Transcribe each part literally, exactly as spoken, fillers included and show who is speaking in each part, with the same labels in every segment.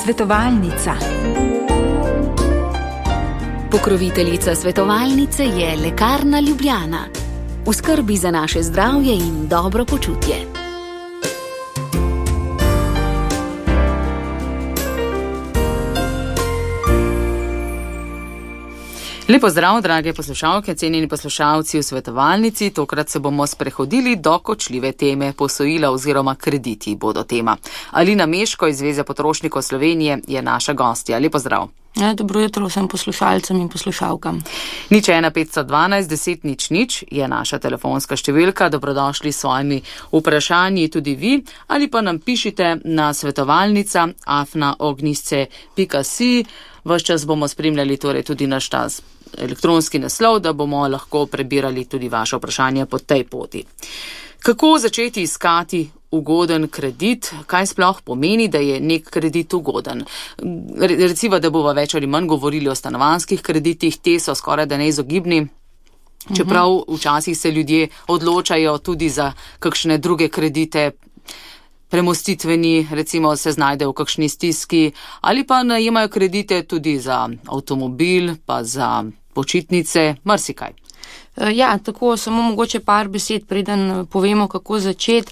Speaker 1: Svetovalnica.
Speaker 2: Pokroviteljica svetovalnice je Lekarna Ljubljana. V skrbi za naše zdravje in dobro počutje.
Speaker 3: Lepo zdrav, drage poslušalke, cenjeni poslušalci v svetovalnici. Tokrat se bomo sprehodili do kočljive teme. Posojila oziroma krediti bodo tema. Alina Meško iz Zveze potrošnikov Slovenije je naša gostja. Lepo zdrav.
Speaker 4: Ja, dobro jutro vsem poslušalcem in poslušalkam.
Speaker 3: Nič ena petsto dvanajst deset nič nič je naša telefonska številka. Dobrodošli s svojimi vprašanji tudi vi, ali pa nam pišite na svetovalnica afna ognisce pika si. Ves čas bomo spremljali torej tudi naš tas elektronski naslov, da bomo lahko prebirali tudi vaše vprašanje po tej poti. Kako začeti iskati ugoden kredit? Kaj sploh pomeni, da je nek kredit ugoden? Recimo, da bomo več ali manj govorili o stanovanjskih kreditih, te so skoraj da neizogibni. Čeprav včasih se ljudje odločajo tudi za kakšne druge kredite, premostitveni, recimo se znajdejo v kakšni stiski, ali pa najemajo kredite tudi za avtomobil, pa za počitnice, marsikaj.
Speaker 4: Ja, tako samo mogoče par besed, preden povemo, kako začeti.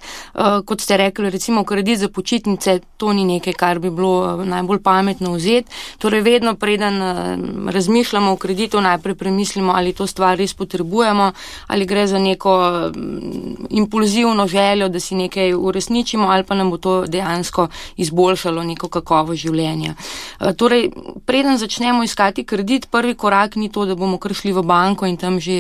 Speaker 4: Kot ste rekli, recimo kredit za počitnice, to ni nekaj, kar bi bilo najbolj pametno vzeti. Torej vedno, preden razmišljamo o kreditu, najprej premislimo, ali to stvar res potrebujemo, ali gre za neko impulzivno željo, da si nekaj uresničimo, ali pa nam bo to dejansko izboljšalo neko kakovost življenja. Torej, preden začnemo iskati kredit, prvi korak ni to, da bomo kar šli v banko in tam že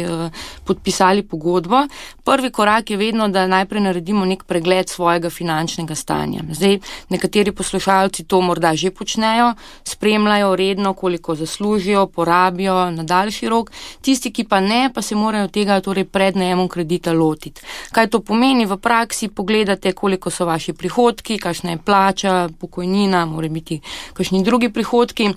Speaker 4: podpisali pogodbo. Prvi korak je vedno, da najprej naredimo nek pregled svojega finančnega stanja. Zdaj, nekateri poslušalci to morda že počnejo, spremljajo redno, koliko zaslužijo, porabijo na daljši rok. Tisti, ki pa ne, pa se morajo tega torej pred najemom kredita lotiti. Kaj to pomeni v praksi? Pogledate, koliko so vaši prihodki, kakšna je plača, pokojnina, mora biti kakšni drugi prihodki.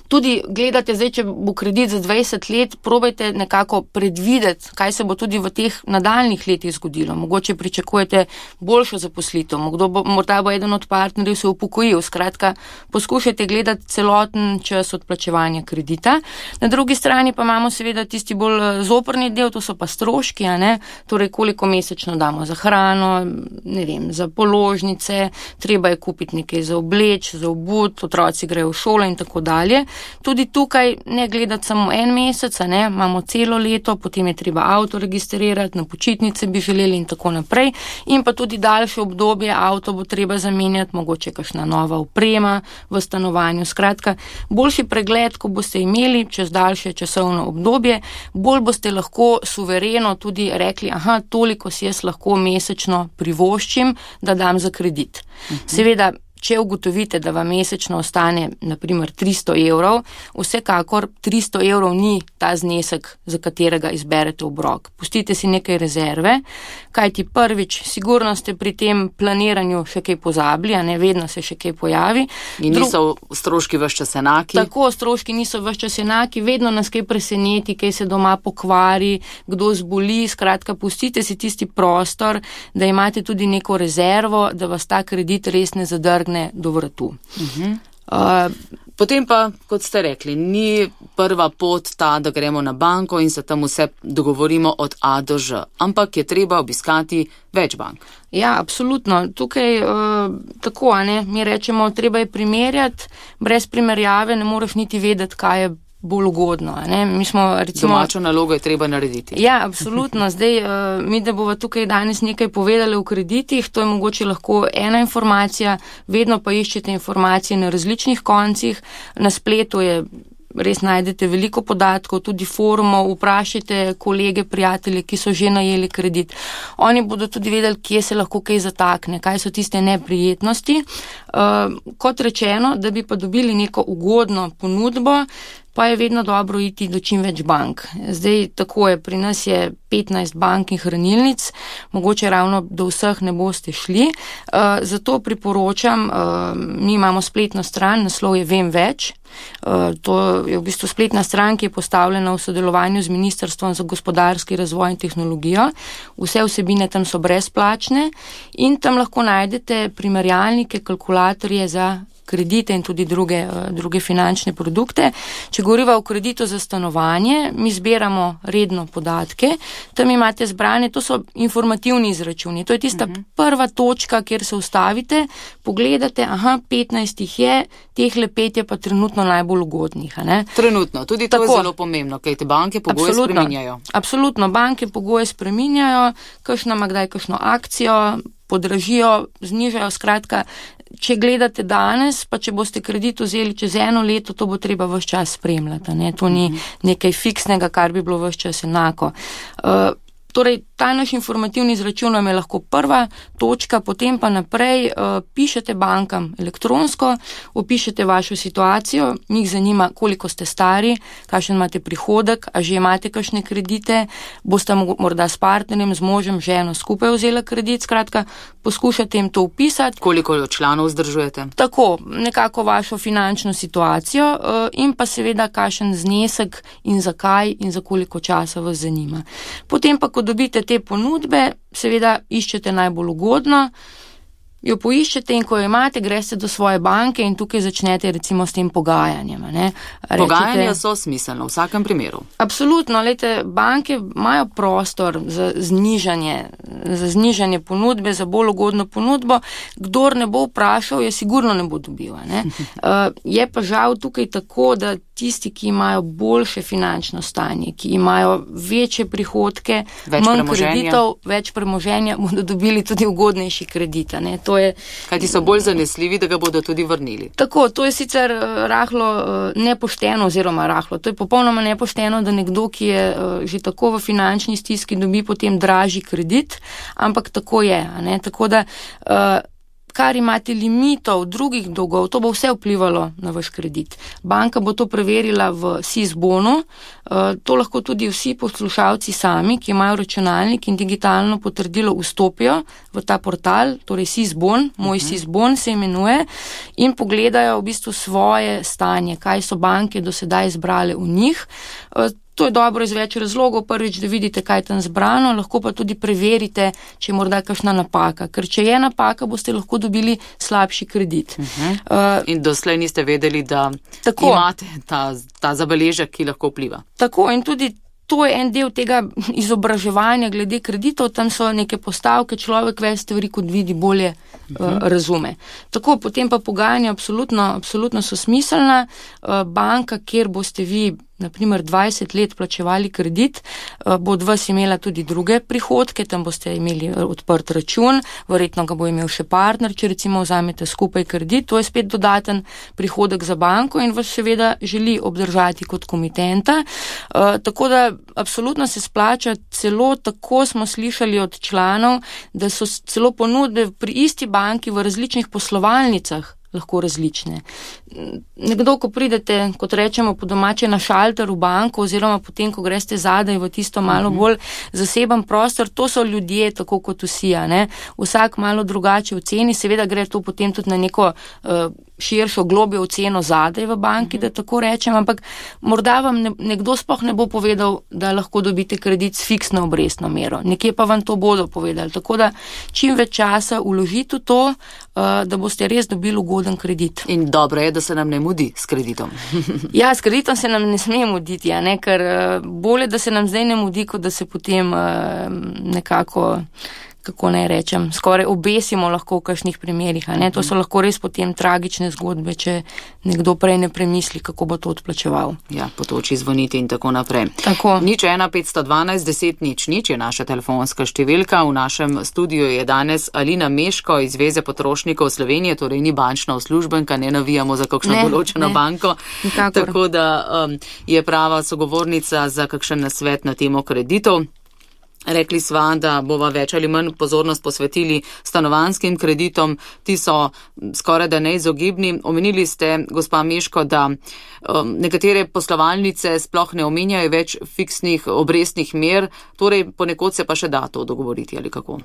Speaker 4: Tudi gledate, zdaj, če bo kredit za dvajset let, probajte nekako predvideti, kaj se bo tudi v teh nadaljnih letih zgodilo. Mogoče pričakujete boljšo zaposlitev, bo, morda bo eden od partnerjev se upokojil. Skratka, poskušajte gledati celoten čas odplačevanja kredita. Na drugi strani pa imamo seveda tisti bolj zoprni del, to so pa stroški, a ne? Torej, koliko mesečno damo za hrano, ne vem, za položnice, treba je kupiti nekaj za obleč, za obut, otroci grejo v šolo in tako dalje. Tudi tukaj ne gledati samo en mesec, ne, imamo celo leto, potem je treba avto registrirati, na počitnice bi želeli in tako naprej. In pa tudi daljše obdobje, avto bo treba zamenjati, mogoče kakšna nova oprema v stanovanju. Skratka, boljši pregled, ko boste imeli čez daljše časovno obdobje, bolj boste lahko suvereno tudi rekli, aha, toliko si jaz lahko mesečno privoščim, da dam za kredit. Mhm. Seveda, če ugotovite, da vam mesečno ostane naprimer tristo evrov, vsekakor tristo evrov ni ta znesek, za katerega izberete obrok. Pustite si nekaj rezerve, kajti prvič, sigurno ste pri tem planiranju še kaj pozabili, a ne, vedno se še kaj pojavi.
Speaker 3: In niso Dru... stroški ves čas enaki?
Speaker 4: Tako, stroški niso ves čas enaki, vedno nas kaj preseneti, kaj se doma pokvari, kdo zboli, skratka, pustite si tisti prostor, da imate tudi neko rezervo, da vas ta kredit res ne zadrgne do vratu.
Speaker 3: Uh-huh. Uh, potem pa, kot ste rekli, ni prva pot ta, da gremo na banko in se tam vse dogovorimo od A do Ž, ampak je treba obiskati več bank.
Speaker 4: Ja, absolutno. Tukaj uh, tako, a ne, mi rečemo, treba je primerjati, brez primerjave ne moreš niti vedeti, kaj je bolj ugodno. Ne? Mi smo, recimo,
Speaker 3: domačo nalogo je treba narediti.
Speaker 4: Ja, absolutno. Zdaj, uh, mi da bova tukaj danes nekaj povedali o kreditih, to je mogoče lahko ena informacija, vedno pa iščete informacije na različnih koncih, na spletu je res najdete veliko podatkov, tudi forumov, vprašajte kolege, prijatelje, ki so že najeli kredit. Oni bodo tudi vedeli, kje se lahko kaj zatakne, kaj so tiste neprijetnosti. Uh, kot rečeno, da bi pa dobili neko ugodno ponudbo, pa je vedno dobro iti do čim več bank. Zdaj, tako je, pri nas je petnajst bank in hranilnic, mogoče ravno do vseh ne boste šli. Uh, zato priporočam, uh, mi imamo spletno stran, naslov je Vem več. Uh, to je v bistvu spletna stran, ki je postavljena v sodelovanju z Ministrstvom za gospodarski razvoj in tehnologijo. Vse vsebine tam so brezplačne in tam lahko najdete primerjalnike, kalkulatorje za kredite in tudi druge, druge finančne produkte. Če govoriva o kreditu za stanovanje, mi zbiramo redno podatke, tam imate zbrane, to so informativni izračuni, to je tista uh-huh. prva točka, kjer se ustavite, pogledate, aha, petnajst jih je, teh le pet je pa trenutno najbolj ugodnih. A ne?
Speaker 3: Trenutno, tudi to Tako, je zelo pomembno, kaj te banke pogoje
Speaker 4: absolutno,
Speaker 3: spreminjajo.
Speaker 4: Absolutno, banke pogoje spreminjajo, kakšna ima kdaj kakšno akcijo, podražijo, znižajo, skratka, če gledate danes, pa če boste kredit vzeli čez eno leto, to bo treba ves čas spremljati. Ne? To ni nekaj fiksnega, kar bi bilo ves čas enako. Uh, Torej, ta naš informativni izračun vam je lahko prva točka, potem pa naprej uh, pišete bankam elektronsko, opišete vašo situacijo, njih zanima, koliko ste stari, kakšen imate prihodek, a že imate kakšne kredite, boste morda s partnerjem, z možem, ženo skupaj vzela kredit, skratka, poskušate jim to upisati.
Speaker 3: Koliko članov vzdržujete?
Speaker 4: Tako, nekako vašo finančno situacijo uh, in pa seveda kakšen znesek in zakaj in za koliko časa vas zanima. Potem pa, ko dobite te ponudbe, seveda iščete najbolj ugodno, jo poiščete in ko jo imate, greste do svoje banke in tukaj začnete recimo s tem pogajanjem. Ne? Rečete,
Speaker 3: pogajanja so smiselno v vsakem primeru.
Speaker 4: Absolutno, lejte, banke imajo prostor za znižanje, za znižanje ponudbe, za bolj ugodno ponudbo. Kdor ne bo vprašal, je sigurno ne bo dobil. Ne? Uh, je pa žal tukaj tako, da tisti, ki imajo boljše finančno stanje, ki imajo večje prihodke,
Speaker 3: več
Speaker 4: manj
Speaker 3: premoženja.
Speaker 4: kreditov, več premoženja, bodo dobili tudi ugodnejši kredit. Ne? To je,
Speaker 3: Kajti so bolj zanesljivi, da ga bodo tudi vrnili.
Speaker 4: Tako, to je sicer uh, rahlo uh, nepošteno oziroma rahlo. To je popolnoma nepošteno, da nekdo, ki je uh, že tako v finančni stiski, dobi potem dražji kredit, ampak tako je. Ne? Tako da uh, kar imate limitov drugih dolgov, to bo vse vplivalo na vaš kredit. Banka bo to preverila v S I S bonu, to lahko tudi vsi poslušalci sami, ki imajo računalnik in digitalno potrdilo, vstopijo v ta portal, torej S I S bon, moj S I S bon se imenuje, in pogledajo v bistvu svoje stanje, kaj so banke do sedaj zbrale v njih. To je dobro iz več razlogov. Prvič, da vidite, kaj je tam zbrano, lahko pa tudi preverite, če je morda kakšna napaka. Ker če je napaka, boste lahko dobili slabši kredit.
Speaker 3: Uh-huh. Uh, in doslej niste vedeli, da tako, imate ta, ta zabeležek, ki lahko vpliva.
Speaker 4: Tako, in tudi to je en del tega izobraževanja glede kreditov, tam so neke postavke, človek več stvari, kot vidi, bolje uh, uh-huh. razume. Tako, potem pa pogajanja absolutno, absolutno so smiselna. Uh, banka, kjer boste vi naprimer dvajset let plačevali kredit, bo od vas imela tudi druge prihodke, tam boste imeli odprt račun, verjetno ga bo imel še partner, če recimo vzamete skupaj kredit, to je spet dodaten prihodek za banko in vas seveda želi obdržati kot komitenta. Tako da absolutno se splača, celo tako smo slišali od članov, da so celo ponudbe pri isti banki v različnih poslovalnicah lahko različne. Nekdo, ko pridete, kot rečemo po domače, na šalter v banko oziroma potem, ko greste zadaj v tisto malo bolj zaseben prostor, to so ljudje, tako kot vsi, ne? Vsak malo drugače oceni, seveda gre to potem tudi na neko uh, širšo, globjo oceno zadaj v banki, da tako rečem, ampak morda vam ne, nekdo sploh ne bo povedal, da lahko dobite kredit s fiksno obrestno mero. Nekje pa vam to bodo povedali. Tako da čim več časa vložite v to, uh, da boste res dobili ugoden kredit.
Speaker 3: In dobro je, da se nam ne mudi s kreditom.
Speaker 4: Ja, s kreditom se nam ne sme muditi, ja, ne? Ker uh, bolje, da se nam zdaj ne mudi, kot da se potem uh, nekako, kako naj rečem, skoraj obesimo lahko v kakšnih primerih. A ne? To so lahko res potem tragične zgodbe, če nekdo prej ne premisli, kako bo to odplačeval.
Speaker 3: Ja, potoči zvoniti in tako naprej.
Speaker 4: Tako.
Speaker 3: Nič ena petsto dvanajst deset nič nič je naša telefonska številka. V našem studiu je danes Alina Meško iz Zveze potrošnikov Slovenije, torej ni bančna uslužbenka, ne navijamo za kakšno
Speaker 4: ne,
Speaker 3: določeno
Speaker 4: ne.
Speaker 3: banko.
Speaker 4: Nikakor.
Speaker 3: Tako da um, je prava sogovornica za kakšen nasvet na temo kreditov. Rekli sva, da bova več ali manj pozornost posvetili stanovanjskim kreditom, ti so skoraj da neizogibni. Omenili ste, gospa Meško, da um, nekatere poslovalnice sploh ne omenjajo več fiksnih obrestnih mer, torej ponekod se pa še da to dogovoriti ali kako?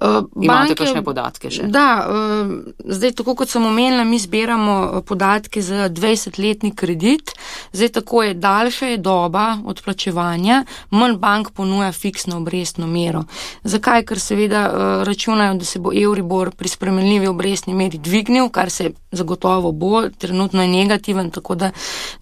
Speaker 3: Uh, Imate
Speaker 4: banke,
Speaker 3: kakšne podatke še?
Speaker 4: Da, uh, zdaj tako kot sem omenila, mi zbiramo podatke za dvajsetletni kredit, zdaj tako je daljša je doba odplačevanja, manj bank ponuja fiksno obrestno mero. Zakaj? Ker seveda uh, računajo, da se bo Euribor pri spremenljivi obrestni meri dvignil, kar se zagotovo bo, trenutno je negativen, tako da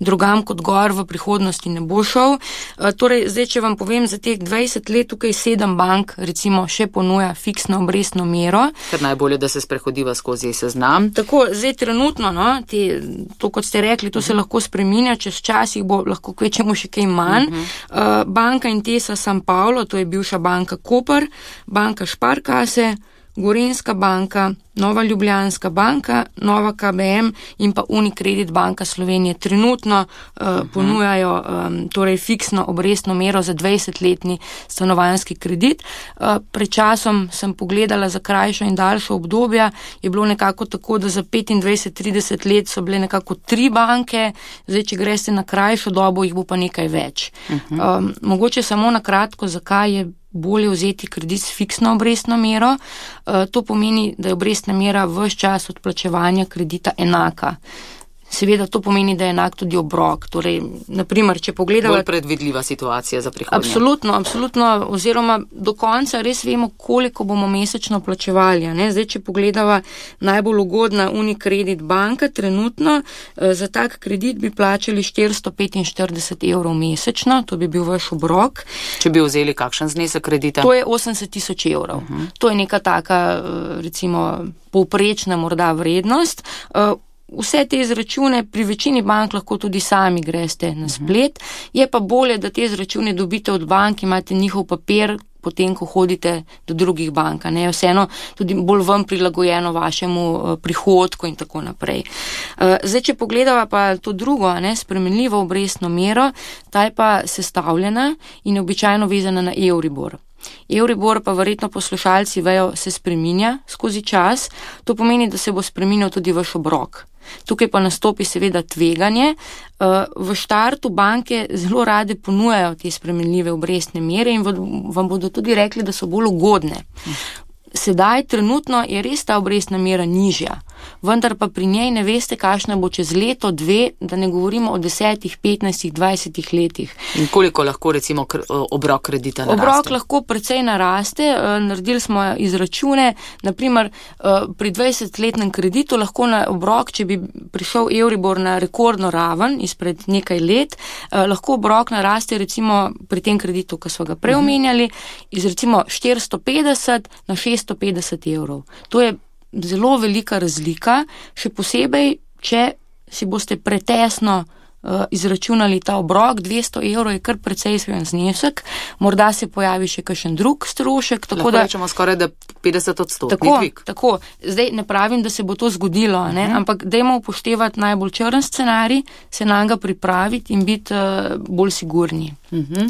Speaker 4: drugam kot gor v prihodnosti ne bo šel. Uh, torej, zdaj, če vam povem, za teh dvajset let tukaj sedem bank recimo še ponuja fiksno obrestno mero.
Speaker 3: Ker najbolje, da se sprehodiva skozi seznam.
Speaker 4: Tako, zdaj trenutno, no, te, to kot ste rekli, to uh-huh. se lahko spreminja, čez čas jih bo lahko kvečemo še kaj manj. Uh-huh. Uh, banka Intesa San Paulo, to je bivša banka Koper, banka Šparkase, Gorenjska banka, Nova Ljubljanska banka, Nova K B M in pa Unicredit banka Slovenije trenutno uh, uh-huh. ponujajo um, torej fiksno obrestno mero za dvajsetletni stanovanjski kredit. Uh, pred časom sem pogledala za krajšo in daljšo obdobja, je bilo nekako tako, da za petindvajset trideset let so bile nekako tri banke, zdaj, če greste na krajšo dobo, jih bo pa nekaj več. Uh-huh. Um, mogoče samo na kratko, zakaj je bolje vzeti kredit s fiksno obrestno mero. Uh, to pomeni, da je obrestna mera ves čas odplačevanja kredita enaka. Seveda to pomeni, da je enak tudi obrok. Torej, naprimer, če pogledamo...
Speaker 3: Bolj predvidljiva situacija za prihodnje.
Speaker 4: Absolutno, absolutno, oziroma do konca res vemo, koliko bomo mesečno plačevali. Ne? Zdaj, če pogledava najbolj ugodna Unicredit banka, trenutno eh, za tak kredit bi plačali štiristo petinštirideset evrov mesečno, to bi bil vaš obrok.
Speaker 3: Če bi vzeli kakšen znesek kredita?
Speaker 4: To je osemdeset tisoč evrov. Uh-huh. To je neka taka, recimo, povprečna morda vrednost. Uh, Vse te izračune pri večini bank lahko tudi sami greste na splet, je pa bolje, da te izračune dobite od bank, imate njihov papir, potem, ko hodite do drugih bank, ne, vseeno tudi bolj vam prilagojeno vašemu uh, prihodku in tako naprej. Uh, zdaj, če pogledava pa to drugo, ne, spremenljivo obrestno mero, ta je pa sestavljena in je običajno vezana na Euribor. Euribor pa verjetno poslušalci vejo, se spreminja skozi čas, to pomeni, da se bo spreminjal tudi vaš obrok. Tukaj pa nastopi seveda tveganje. V štartu banke zelo rade ponujajo te spremenljive obrestne mere in vam bodo tudi rekli, da so bolj ugodne. Sedaj trenutno je res ta obrestna mera nižja, vendar pa pri njej ne veste, kakšna bo čez leto, dve, da ne govorimo o desetih, petnajstih, dvajsetih letih.
Speaker 3: In koliko lahko recimo obrok kredita naraste?
Speaker 4: Obrok lahko precej naraste, naredili smo izračune, naprimer pri dvajsetletnem kreditu lahko na obrok, če bi prišel Euribor na rekordno raven izpred nekaj let, lahko obrok naraste recimo pri tem kreditu, ki smo ga preomenjali, iz recimo štiristo petdeset na šeststo petdeset evrov. To je zelo velika razlika, še posebej, če si boste pretesno uh, izračunali ta obrok, dvesto evrov je kar precejšen znesek, morda se pojavi še kakšen drug strošek. Tako
Speaker 3: lahko
Speaker 4: da
Speaker 3: rečemo skoraj, da petdeset odstotni
Speaker 4: tako,
Speaker 3: dvig.
Speaker 4: Tako, zdaj ne pravim, da se bo to zgodilo, ne? Uh-huh. Ampak dajmo upoštevati najbolj črn scenarij, se na njega pripraviti in biti uh, bolj sigurni.
Speaker 3: Uh-huh.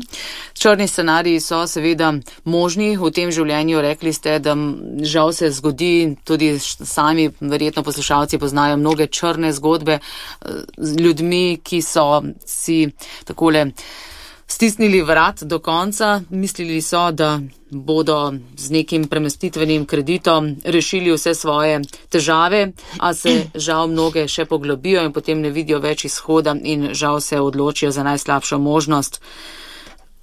Speaker 3: Črni scenariji so seveda možni v tem življenju, rekli ste, da žal se zgodi, tudi sami verjetno poslušalci poznajo mnoge črne zgodbe z ljudmi, ki so si takole stisnili vrat do konca, mislili so, da bodo z nekim premestitvenim kreditom rešili vse svoje težave, a se žal mnoge še poglobijo in potem ne vidijo več izhoda in žal se odločijo za najslabšo možnost.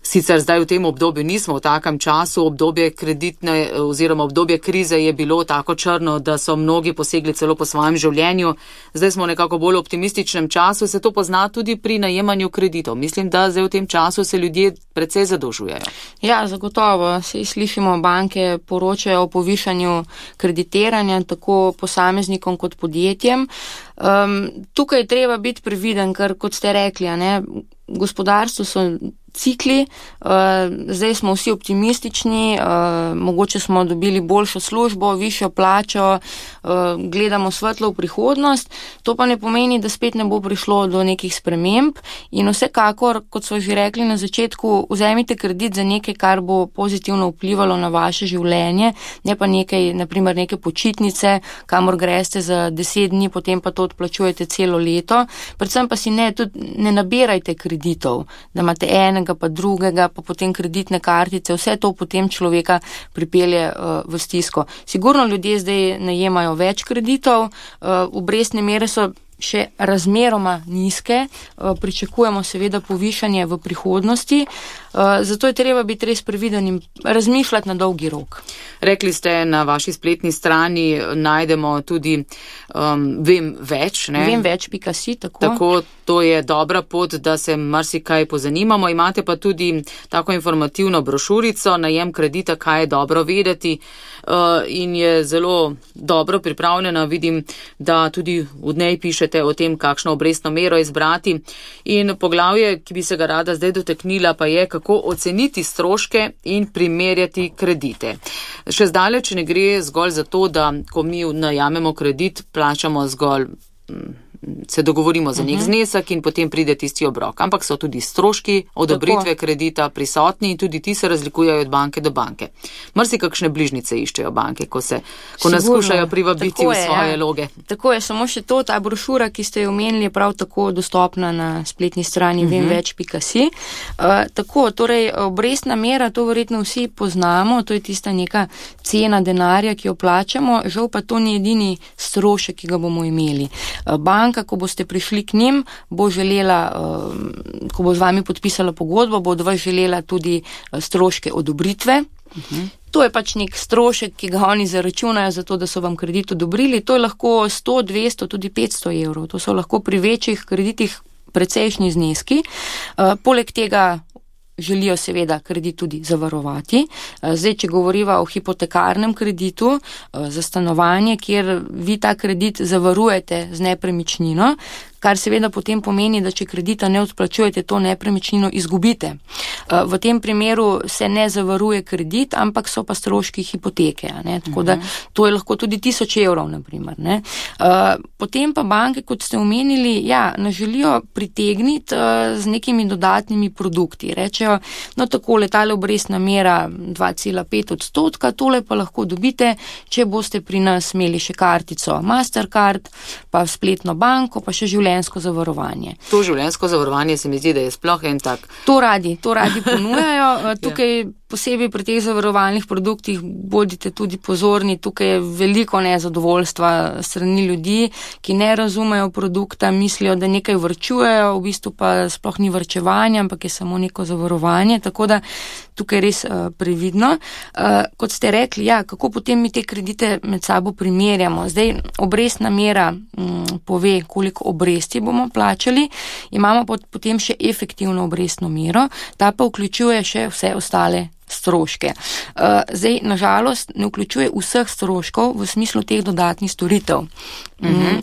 Speaker 3: Sicer zdaj v tem obdobju nismo v takem času, obdobje kreditne oziroma obdobje krize je bilo tako črno, da so mnogi posegli celo po svojem življenju. Zdaj smo nekako bolj v optimističnem času, se to pozna tudi pri najemanju kreditov. Mislim, da zdaj v tem času se ljudje precej zadolžujejo. Ja,
Speaker 4: zagotovo. Se slišimo, banke poročajo o povišanju kreditiranja tako posameznikom kot podjetjem. Um, tukaj je treba biti previden, ker kot ste rekli, ne, gospodarstvo so cikli, uh, zdaj smo vsi optimistični, uh, mogoče smo dobili boljšo službo, višjo plačo, uh, gledamo svetlo v prihodnost, to pa ne pomeni, da spet ne bo prišlo do nekih sprememb in vsekakor, kot so že rekli na začetku, vzemite kredit za nekaj, kar bo pozitivno vplivalo na vaše življenje, ne pa nekaj, naprimer neke počitnice, kamor greste za deset dni, potem pa to odplačujete celo leto, predvsem pa si ne, tudi ne nabirajte kreditov, da imate enega pa drugega, pa potem kreditne kartice, vse to potem človeka pripelje uh, v stisko. Sigurno ljudje zdaj najemajo več kreditov, uh, obrestne mere so še razmeroma nizke, pričakujemo seveda povišanje v prihodnosti, zato je treba biti res previden in razmišljati na dolgi rok.
Speaker 3: Rekli ste, na vaši spletni strani najdemo tudi um, Vem več. Ne?
Speaker 4: Vem več pika si, tako.
Speaker 3: Tako, to je dobra pot, da se marsikaj pozanimamo. Imate pa tudi tako informativno brošurico, najem kredita, kaj je dobro vedeti, uh, in je zelo dobro pripravljena. Vidim, da tudi v njej pišete o tem, kakšno obrestno mero izbrati. In poglavje, ki bi se ga rada zdaj dotaknila, pa je, kako oceniti stroške in primerjati kredite. Še zdaleč ne gre zgolj za to, da ko mi najamemo kredit, plačamo zgolj, se dogovorimo za nek znesek in potem pride tisti obrok. Ampak so tudi stroški odobritve tako kredita prisotni in tudi ti se razlikujejo od banke do banke. Marsi kakšne bližnice iščejo banke, ko, se, ko nas skušajo privabiti tako v svoje je, ja. loge.
Speaker 4: Tako je, samo še to, ta brošura, ki ste jo omenili, je prav tako dostopna na spletni strani uh-huh. vem več pika si. Uh, tako, torej, obrestna mera, to verjetno vsi poznamo, to je tista neka cena denarja, ki jo plačamo, žal pa to ni edini strošek, ki ga bomo imeli. Uh, banka, ko boste prišli k njim, bo želela, ko bo z vami podpisala pogodbo, bo od vas želela tudi stroške odobritve. Uh-huh. To je pač nek strošek, ki ga oni zaračunajo za to, da so vam kredit odobrili. To je lahko sto, dvesto, tudi petsto evrov. To so lahko pri večjih kreditih precejšnji zneski. Poleg tega želijo seveda kredit tudi zavarovati. Zdaj, če govoriva o hipotekarnem kreditu za stanovanje, kjer vi ta kredit zavarujete z nepremičnino, kar seveda potem pomeni, da če kredita ne odplačujete, to nepremičnino izgubite. V tem primeru se ne zavaruje kredit, ampak so pa stroški hipoteke. Ne? Tako da to je lahko tudi tisoč evrov, na primer. Ne? Potem pa banke, kot ste omenili, ja, nas želijo pritegniti z nekimi dodatnimi produkti. Rečejo, no tako, letale obrestna mera dva cela pet odstotka, tole pa lahko dobite, če boste pri nas imeli še kartico Mastercard, pa spletno banko, pa še življenje zavarovanje.
Speaker 3: To življenjsko zavarovanje se mi zdi, da je sploh en tak.
Speaker 4: To radi, to radi ponujajo. Tukaj ja. posebej pri teh zavarovalnih produktih bodite tudi pozorni, tukaj je veliko nezadovoljstva strani ljudi, ki ne razumejo produkta, mislijo, da nekaj vrčujejo, v bistvu pa sploh ni vrčevanje, ampak je samo neko zavarovanje, tako da tukaj res uh, previdno. Uh, kot ste rekli, ja, kako potem mi te kredite med sabo primerjamo. Zdaj, obrestna mera um, pove, koliko obresti bomo plačali, imamo potem še efektivno obrestno mero, ta pa vključuje še vse ostale stroške. Uh, zdaj, nažalost, ne vključuje vseh stroškov v smislu teh dodatnih storitev.
Speaker 3: Mhm.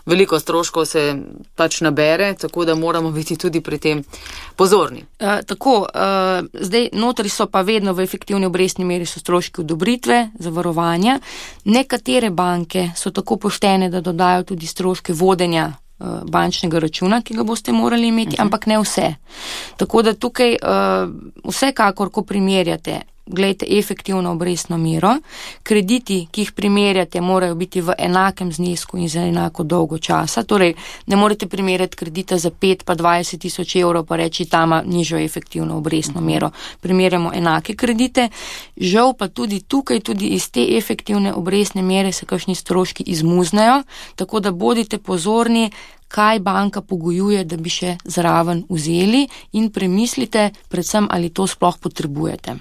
Speaker 3: Veliko stroškov se pač nabere, tako da moramo biti tudi pri tem pozorni.
Speaker 4: Uh, tako, uh, zdaj notri so pa vedno v efektivni obrestni meri so stroški odobritve, zavarovanja. Nekatere banke so tako poštene, da dodajo tudi stroške vodenja uh, bančnega računa, ki ga boste morali imeti, uh-huh. ampak ne vse. Tako da tukaj uh, vsekakor, ko primerjate, glejte efektivno obrestno mero, krediti, ki jih primerjate, morajo biti v enakem znesku in za enako dolgo časa, torej ne morete primerjati kredita za pet pa dvajset tisoč evrov pa reči, tama nižjo efektivno obrestno mero. Primerjamo enake kredite, žal pa tudi tukaj, tudi iz te efektivne obrestne mere se kakšni stroški izmuznejo, tako da bodite pozorni, kaj banka pogojuje, da bi še zraven vzeli in premislite predvsem, ali to sploh potrebujete.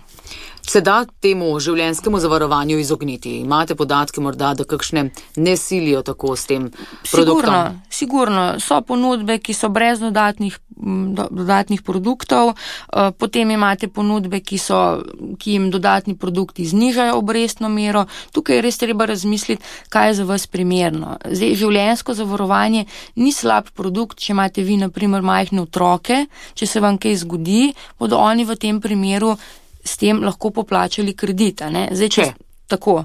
Speaker 3: Se da temu življenjskemu zavarovanju izogniti? Imate podatke morda, da kakšne ne silijo tako s tem produktom?
Speaker 4: Sigurno, sigurno. So ponudbe, ki so brez dodatnih, do, dodatnih produktov, potem imate ponudbe, ki, so, ki jim dodatni produkti znižajo obrestno mero. Tukaj je res treba razmisliti, kaj je za vas primerno. Zdaj, življenjsko zavarovanje ni slab produkt, če imate vi, na primer, majhne otroke, če se vam kaj zgodi, bodo oni v tem primeru s tem lahko poplačali kredita. Ne? Zdaj, če, tako,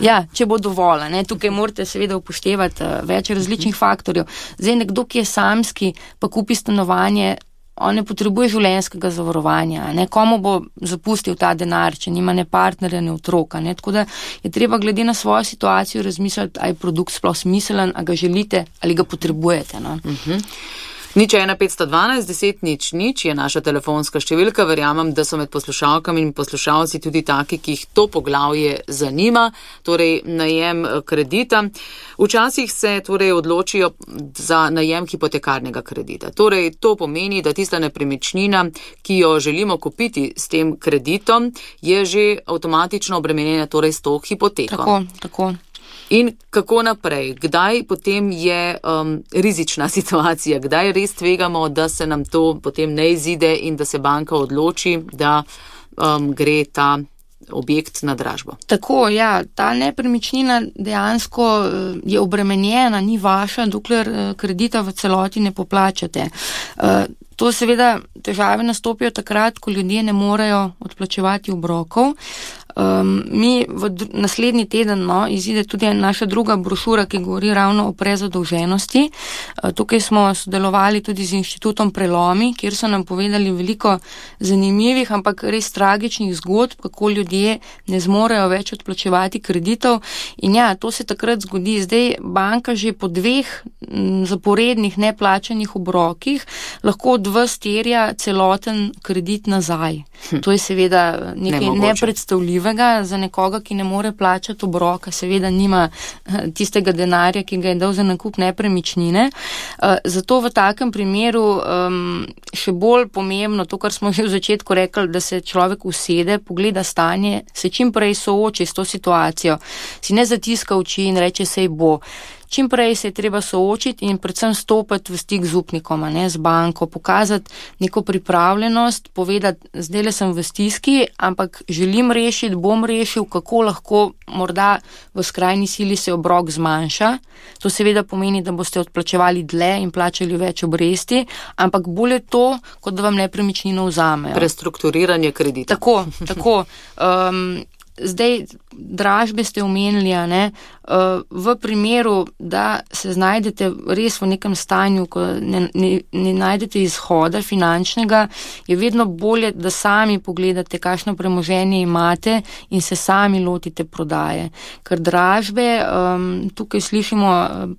Speaker 4: ja, če bo dovolj. Ne? Tukaj morate seveda upoštevati uh, več različnih faktorjev. Zdaj, nekdo, ki je samski, pa kupi stanovanje, on ne potrebuje življenjskega zavarovanja. Ne? Komu bo zapustil ta denar, če nima ne partnerja, ne otroka. Ne? Tako da je treba glede na svojo situacijo razmisliti, ali je produkt sploh smiselen, a ga želite ali ga potrebujete. No?
Speaker 3: Uh-huh. Nič ena petsto dvanajst deset nič nič je naša telefonska številka. Verjamem, da so med poslušalkami in poslušalci tudi taki, ki jih to poglavje zanima, torej najem kredita. Včasih se torej odločijo za najem hipotekarnega kredita. Torej to pomeni, da tista nepremičnina, ki jo želimo kupiti s tem kreditom, je že avtomatično obremenjena torej s to hipoteko.
Speaker 4: Tako, tako.
Speaker 3: In kako naprej? Kdaj potem je um, rizična situacija? Kdaj res tvegamo, da se nam to potem ne izide in da se banka odloči, da um, gre ta objekt na dražbo?
Speaker 4: Tako, ja, ta nepremičnina dejansko je obremenjena, ni vaša, dokler kredita v celoti ne poplačate. To seveda težave nastopijo takrat, ko ljudje ne morejo odplačevati obrokov. Um, mi v dr- naslednji teden no, izide tudi naša druga brošura, ki govori ravno o prezadolženosti. Uh, tukaj smo sodelovali tudi z inštitutom Prelomi, kjer so nam povedali veliko zanimivih, ampak res tragičnih zgodb, kako ljudje ne zmorejo več odplačevati kreditov. In ja, to se takrat zgodi. Zdaj banka že po dveh m, zaporednih neplačanih obrokih lahko od vas terja celoten kredit nazaj. Hm. To je seveda nekaj nepredstavljivo. Za nekoga, ki ne more plačati obroka, seveda nima tistega denarja, ki ga je dal za nakup nepremičnine. Zato v takem primeru še bolj pomembno, to, kar smo že v začetku rekli, da se človek usede, pogleda stanje, se čim prej sooči s to situacijo, si ne zatiska oči in reče, sej bo. Čim prej se je treba soočiti in predvsem stopiti v stik z upnikom, ne, z banko, pokazati neko pripravljenost, povedati, zdaj le sem v stiski, ampak želim rešiti, bom rešil, kako lahko morda v skrajni sili se obrok zmanjša. To seveda pomeni, da boste odplačevali dlje in plačali več obresti, ampak bolje to, kot da vam nepremičnino vzamejo.
Speaker 3: Prestrukturiranje kredita.
Speaker 4: Tako, tako. Um, Zdaj, dražbe ste omenili, ne, v primeru, da se znajdete res v nekem stanju, ko ne, ne, ne najdete izhoda finančnega, je vedno bolje, da sami pogledate, kakšno premoženje imate in se sami lotite prodaje. Ker dražbe, um, tukaj slišimo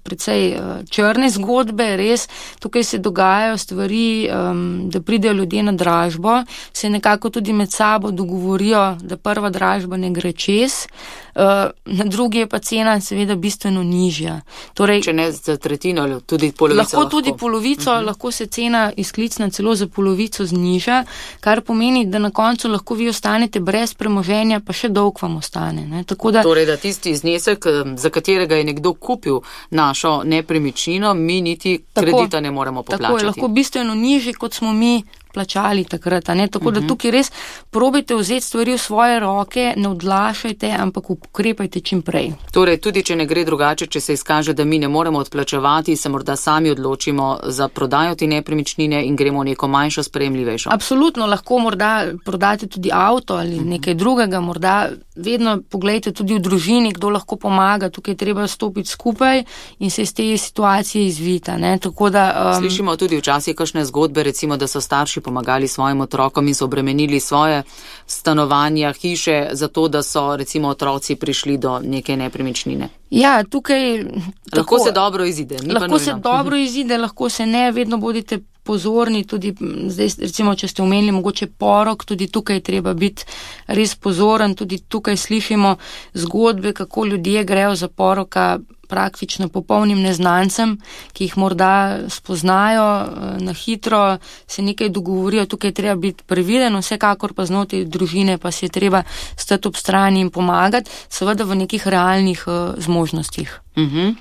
Speaker 4: precej črne zgodbe, res, tukaj se dogajajo stvari, um, da pridejo ljudje na dražbo, se nekako tudi med sabo dogovorijo, da prva dražba ne gre čez, uh, na drugi je pa cena seveda bistveno nižja. Torej,
Speaker 3: če ne za tretjino, tudi polovico.
Speaker 4: Lahko, lahko. tudi polovico, uh-huh. lahko se cena izklicna celo za polovico zniža, kar pomeni, da na koncu lahko vi ostanete brez premoženja, pa še dolg vam ostane. Ne? Tako da,
Speaker 3: torej, da tisti znesek, za katerega je nekdo kupil našo nepremičnino, mi niti tako, kredita ne moremo poplačati.
Speaker 4: Tako je, lahko bistveno nižji, kot smo mi plačali takrat, ne? Tako da tukaj res probajte vzeti stvari v svoje roke, ne odlašajte, ampak ukrepajte čim prej.
Speaker 3: Torej, tudi če ne gre drugače, če se izkaže, da mi ne moremo odplačevati, se morda sami odločimo za prodajo te nepremičnine in gremo v neko manjšo, sprejemljivejšo.
Speaker 4: Absolutno, lahko morda prodate tudi avto ali uh-huh. nekaj drugega, morda vedno pogledajte tudi v družini, kdo lahko pomaga, tukaj je treba stopiti skupaj in se iz te situacije izvita, ne? Tako da, um...
Speaker 3: Slišimo tudi včasih kakšne zgodbe, recimo, da so starši pomagali svojim otrokom in so obremenili svoje stanovanja, hiše, zato da so recimo otroci prišli do neke nepremičnine.
Speaker 4: Ja, tukaj...
Speaker 3: Lahko tako, se dobro izide.
Speaker 4: Lahko se dobro izide, lahko se ne, vedno bodite pozorni, tudi zdaj, recimo, če ste omenili mogoče porok, tudi tukaj treba biti res pozoren, tudi tukaj slišimo zgodbe, kako ljudje grejo za poroka praktično popolnim neznancem, ki jih morda spoznajo na hitro, se nekaj dogovorijo, tukaj treba biti previden, vsekakor pa znotraj družine pa se je treba stati ob strani in pomagati, seveda v nekih realnih uh, zmožnostih.
Speaker 3: Mhm.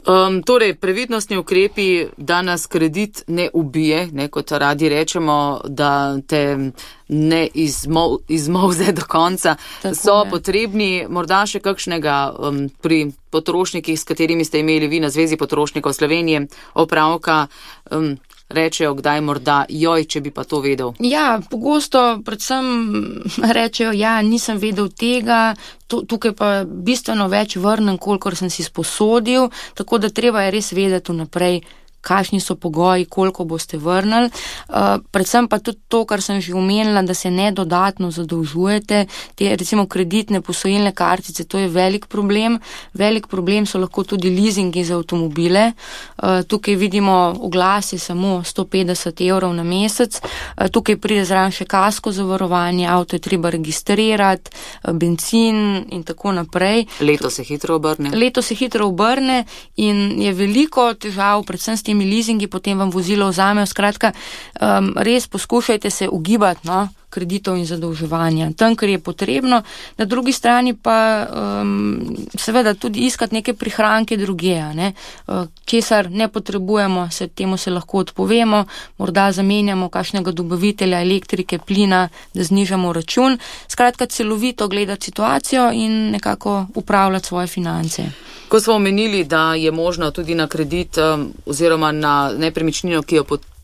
Speaker 3: Um, torej, previdnostni ukrepi, da nas kredit ne ubije, ne, kot radi rečemo, da te ne izmol, izmolze do konca, tako so je. Potrebni morda še kakšnega um, pri potrošnikih, s katerimi ste imeli vi na Zvezi potrošnikov Slovenije opravka, um, rečejo kdaj morda, joj, če bi pa to vedel.
Speaker 4: Ja, pogosto predvsem rečejo, ja, nisem vedel tega, tukaj pa bistveno več vrnem, kolikor sem si sposodil, tako da treba je res vedeti vnaprej, kakšni so pogoji, koliko boste vrnili. Uh, predvsem pa tudi to, kar sem že omenila, da se ne dodatno zadolžujete. Te recimo kreditne posojilne kartice, to je velik problem. Velik problem so lahko tudi leasingi za avtomobile. Uh, tukaj vidimo oglase samo sto petdeset evrov na mesec. Uh, tukaj pride zraven še kasko zavarovanje, avto je treba registrirati, uh, benzin in tako naprej.
Speaker 3: Leto se hitro obrne.
Speaker 4: Leto se hitro obrne in je veliko težav, predvsem s temi leasingi, potem vam vozilo vzamejo. Skratka, um, res poskušajte se ugibati, no, kreditov in zadolževanja. Tam, kar je potrebno, na drugi strani pa um, seveda tudi iskati neke prihranke druge, ne? Uh, česar ne potrebujemo, se temu se lahko odpovemo, morda zamenjamo kakšnega dobavitelja elektrike, plina, da znižamo račun. Skratka, celovito gledati situacijo in nekako upravljati svoje finance.
Speaker 3: Ko smo omenili, da je možno tudi na kredit um, oziroma na nepremičnino, ki jo potrebujemo,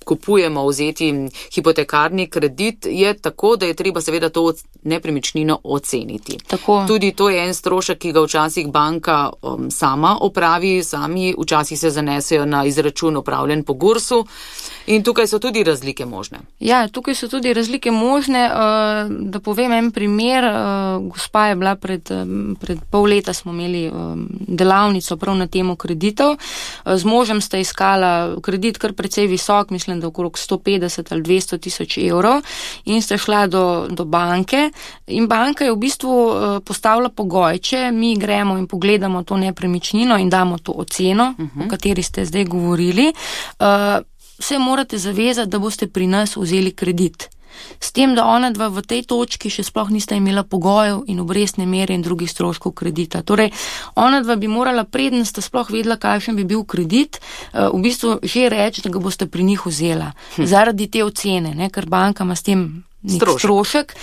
Speaker 3: kupujemo, vzeti hipotekarni kredit, je tako, da je treba seveda to nepremičnino oceniti.
Speaker 4: Tako.
Speaker 3: Tudi to je en strošek, ki ga včasih banka um, sama opravi, sami včasih se zanesejo na izračun opravljen po gursu in tukaj so tudi razlike možne.
Speaker 4: Ja, tukaj so tudi razlike možne. Uh, da povem en primer, uh, gospa je bila pred, um, pred pol leta smo imeli um, delavnico prav na temo kreditov. Uh, z možem sta iskala kredit kar precej visok, mislim, da okrog sto petdeset ali dvesto tisoč evrov in sta šla do, do banke in banka je v bistvu uh, postavila pogoj, če mi gremo in pogledamo to nepremičnino in damo to oceno, uh-huh. o kateri ste zdaj govorili, uh, se morate zavezati, da boste pri nas vzeli kredit. S tem, da ona dva v tej točki še sploh nista imela pogojev in obrestne mere in drugih stroškov kredita. Torej, ona dva bi morala preden sta sploh vedela, kakšen bi bil kredit, v bistvu že reči, da ga boste pri njih vzela. Hm. Zaradi te ocene, ne, ker banka ima s tem nek strošek. strošek.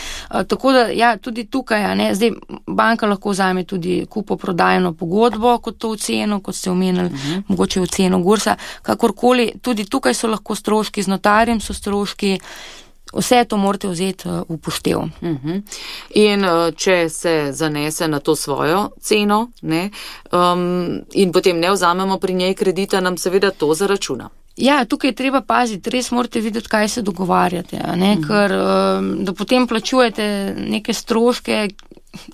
Speaker 4: Tako da, ja, tudi tukaj, a ne, zdaj banka lahko vzame tudi kupoprodajno pogodbo kot to oceno, kot ste omenili, uh-huh. mogoče oceno gursa, kakorkoli, tudi tukaj so lahko stroški, z notarjem so stroški. Vse to morate vzeti v upoštev.
Speaker 3: Uh-huh. In če se zanese na to svojo ceno, ne, um, in potem ne vzamemo pri njej kredita, nam seveda to zaračuna.
Speaker 4: Ja, tukaj je treba paziti, res morate videti, kaj se dogovarjate, a ne, uh-huh. ker da potem plačujete neke stroške,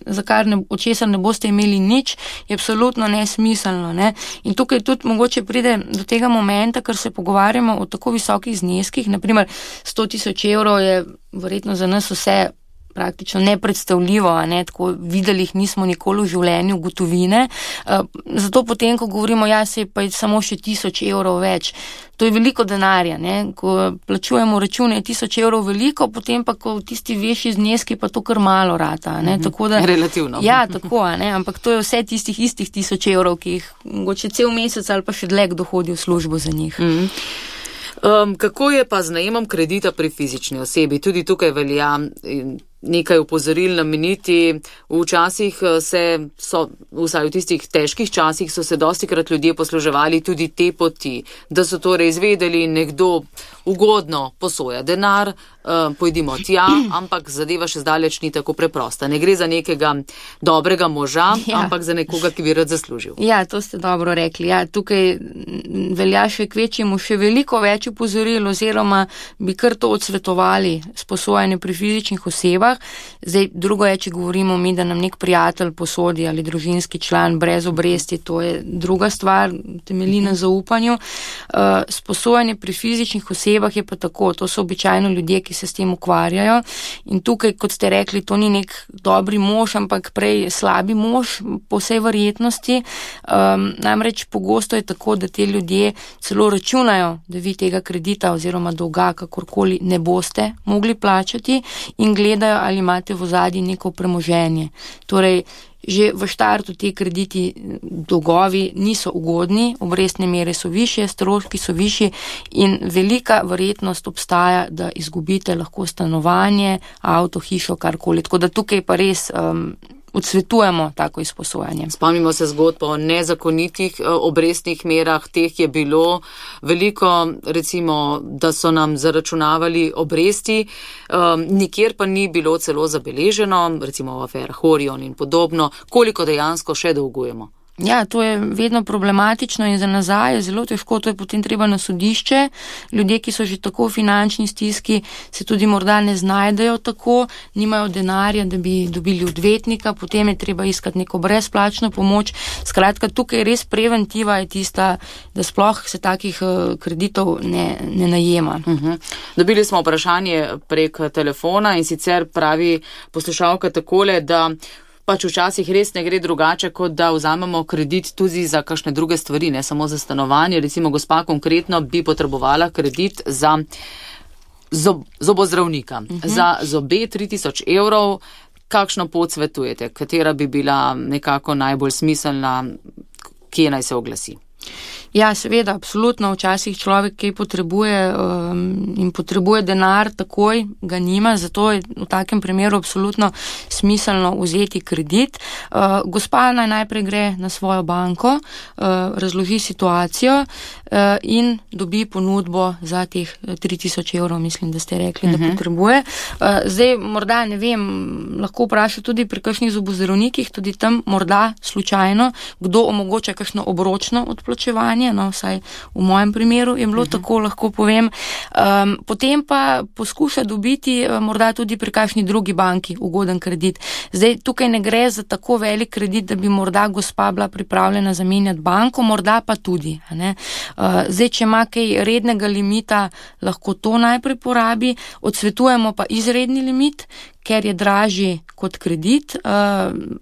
Speaker 4: za kar ne, od česar ne boste imeli nič, je absolutno nesmiselno. Ne? In tukaj tudi mogoče pride do tega momenta, ker se pogovarjamo o tako visokih zneskih, naprimer sto tisoč evrov je verjetno za nas vse praktično nepredstavljivo, a ne, tako videli jih nismo nikoli v življenju gotovine. Uh, zato potem, ko govorimo, ja, se pa je samo še tisoč evrov več, to je veliko denarja, ne, ko plačujemo račune tisoč evrov veliko, potem pa, ko tisti večji zneski, pa to kar malo rata, ne,
Speaker 3: mm-hmm.
Speaker 4: tako da...
Speaker 3: Relativno.
Speaker 4: Ja, tako, a ne, ampak to je vse tistih istih tisoč evrov, ki jih mogoče cel mesec ali pa še dlje kdo hodi v službo za njih.
Speaker 3: Mm-hmm. Um, kako je pa z najemom kredita pri fizični osebi? Tudi tukaj velja nekaj upozoril nameniti. Včasih se so, vsaj v tistih težkih časih, so se dostikrat ljudje posluževali tudi te poti, da so torej izvedeli, nekdo ugodno posoja denar, uh, pojdimo tja, ampak zadeva še zdaleč ni tako preprosta. Ne gre za nekega dobrega moža, ja. ampak za nekoga, ki bi rad zaslužil.
Speaker 4: Ja, to ste dobro rekli. Ja, tukaj velja še kvečjemu še veliko več upozoril, oziroma bi kar to odsvetovali sposojanje pri fizičnih osebah. Zdaj, drugo je, če govorimo mi, da nam nek prijatelj posodi ali družinski član brez obresti, to je druga stvar, temelji na zaupanju. Uh, sposojanje pri fizičnih osebah je pa tako, to so običajno ljudje, ki se s tem ukvarjajo in tukaj, kot ste rekli, to ni nek dobri mož, ampak prej slabi mož po vsej verjetnosti. Um, namreč pogosto je tako, da te ljudje celo računajo, da vi tega kredita oziroma dolga kakorkoli ne boste mogli plačati in gledajo, ali imate v ozadju neko premoženje. Torej, že v štartu te krediti dolgovi niso ugodni, obrestne mere so višje, stroški so višji in velika verjetnost obstaja, da izgubite lahko stanovanje, avto, hišo, karkoli. Tako da tukaj pa res um, odsvetujemo tako izposojanje.
Speaker 3: Spomnimo se zgodb o nezakonitih obrestnih merah, teh je bilo veliko, recimo, da so nam zaračunavali obresti, um, nikjer pa ni bilo celo zabeleženo, recimo v aferah Orion in podobno, koliko dejansko še dolgujemo.
Speaker 4: Ja, to je vedno problematično in za nazaj je zelo težko, to je potem treba na sodišče. Ljudje, ki so že tako v finančni stiski, se tudi morda ne znajdejo tako, nimajo denarja, da bi dobili odvetnika, potem je treba iskati neko brezplačno pomoč. Skratka, tukaj res preventiva je tista, da sploh se takih kreditov ne, ne najema.
Speaker 3: Uh-huh. Dobili smo vprašanje prek telefona in sicer pravi poslušalka takole, da pač včasih res ne gre drugače, kot da vzamemo kredit tudi za kakšne druge stvari, ne samo za stanovanje. Recimo gospa konkretno bi potrebovala kredit za zob, zobozdravnika. Uh-huh. Za zobe tri tisoč evrov. Kakšno pot svetujete? Katera bi bila nekako najbolj smiselna? Kje naj se oglasi?
Speaker 4: Ja, seveda, absolutno. Včasih človek, ki potrebuje um, in potrebuje denar takoj, ga nima, zato je v takem primeru absolutno smiselno vzeti kredit. Uh, gospa naj najprej gre na svojo banko, uh, razloži situacijo uh, in dobi ponudbo za teh tri tisoč evrov, mislim, da ste rekli, uh-huh. da potrebuje. Uh, zdaj, morda, ne vem, lahko vpraša tudi pri kakšnih zobozdravnikih, tudi tam morda slučajno, kdo omogoča kakšno obročno odplačevanje. No, vsaj v mojem primeru je bilo uh-huh. tako, lahko povem. Um, potem pa poskuša dobiti uh, morda tudi pri kakšni drugi banki ugoden kredit. Zdaj, tukaj ne gre za tako velik kredit, da bi morda gospa bila pripravljena zamenjati banko, morda pa tudi. Ne? Uh, zdaj, če ima kaj rednega limita, lahko to najprej porabi. Odsvetujemo pa izredni limit, ker je dražji kot kredit,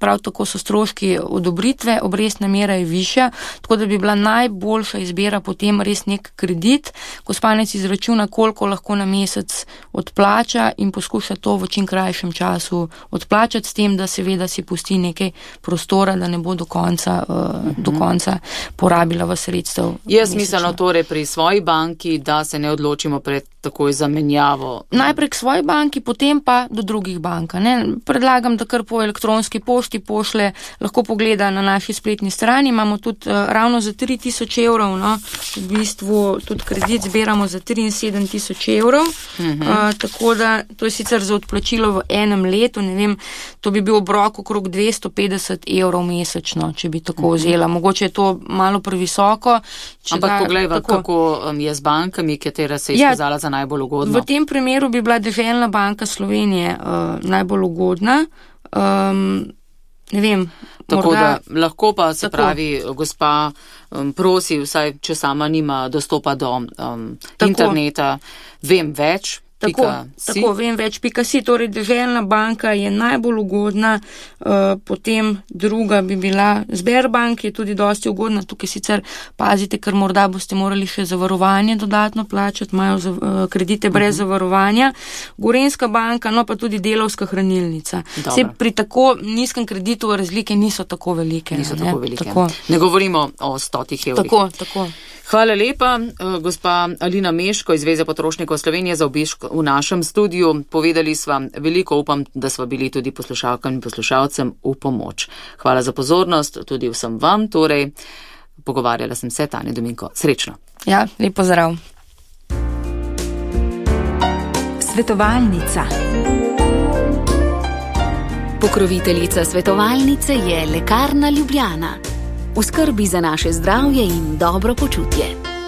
Speaker 4: prav tako so stroški odobritve, obrestna mera je višja, tako da bi bila najboljša izbira potem res nek kredit. Gospanec izračuna, koliko lahko na mesec odplača in poskuša to v čim krajšem času odplačati, s tem, da seveda si pusti nekaj prostora, da ne bo do konca, uh-huh. do konca porabila v sredstev.
Speaker 3: Je smiselno torej pri svoji banki, da se ne odločimo pred takoj zamenjavo?
Speaker 4: Najprej k svoji banki, potem pa do drugih bank. Ne? Predlagam, da kar po elektronski pošti pošle, lahko pogleda na naši spletni strani. Imamo tudi uh, ravno za tri tisoč evrov, no? V bistvu tudi kredit zbiramo za triinsedemdeset tisoč evrov. Uh-huh. Uh, tako da to je sicer za odplačilo v enem letu, ne vem, to bi bil obrok okrog dvesto petdeset evrov mesečno, če bi tako uh-huh. vzela. Mogoče je to malo previsoko.
Speaker 3: Ampak poglejva, kako um, je z bankami, katera se je izkazala ja, za najbolj ugodno.
Speaker 4: V tem primeru bi bila Deželna banka Slovenije uh, najbolj ugodna. Um, ne vem.
Speaker 3: Tako
Speaker 4: morda,
Speaker 3: da lahko pa se
Speaker 4: tako. pravi,
Speaker 3: gospa um, prosi, vsaj če sama nima dostopa do um, interneta, vem več.
Speaker 4: Tako, tako, vem več, pika si, torej Deželna banka je najbolj ugodna, uh, potem druga bi bila Sberbank, je tudi dosti ugodna, tukaj sicer pazite, ker morda boste morali še zavarovanje dodatno plačati, imajo za, uh, kredite brez uh-huh. zavarovanja, Gorenjska banka, no pa tudi Delavska hranilnica. Se pri tako nizkem kreditu razlike niso tako velike.
Speaker 3: Niso
Speaker 4: ne?
Speaker 3: tako velike.
Speaker 4: Tako.
Speaker 3: Ne govorimo o stotih evrih.
Speaker 4: Tako, tako.
Speaker 3: Hvala lepa, gospa Alina Meško iz Zveze potrošnikov Slovenije za obisk v našem studiu. Povedali sva veliko, upam, da sva bili tudi poslušalkam in poslušalcem v pomoč. Hvala za pozornost, tudi vsem vam. Torej, pogovarjala sem se, Tanja Dominko. Srečno.
Speaker 4: Ja, lep pozdrav.
Speaker 2: Svetovalnica. Pokroviteljica svetovalnice je Lekarna Ljubljana. V skrbi za naše zdravje in dobro počutje.